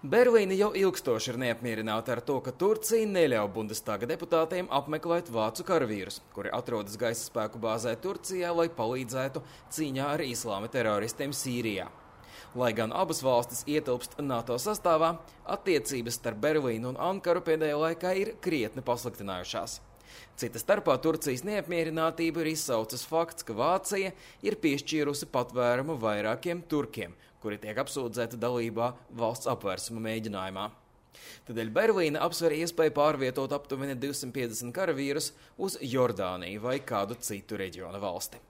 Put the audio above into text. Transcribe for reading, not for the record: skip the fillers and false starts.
Berlīne jau ilgstoši ir neapmierināta ar to, ka Turcija neļauj Bundestaga deputātiem apmeklēt vācu karavīrus, kuri atrodas gaisa spēku bāzē Turcijā, lai palīdzētu cīņā ar islāma teroristiem Sīrijā. Lai gan abas valstis ietilpst NATO sastāvā, attiecības starp Berlīnu un Ankaru pēdējā laikā ir krietni pasliktinājušās. Cita starpā Turcijas neapmierinātību ir izsaucis fakts, ka Vācija ir piešķīrusi patvērumu vairākiem turkiem, kuri tiek apsūdzēti dalībā valsts apvērsuma mēģinājumā. Tādēļ Berlīne apsver iespēju pārvietot aptuveni 250 karavīrus uz Jordāniju vai kādu citu reģiona valsti.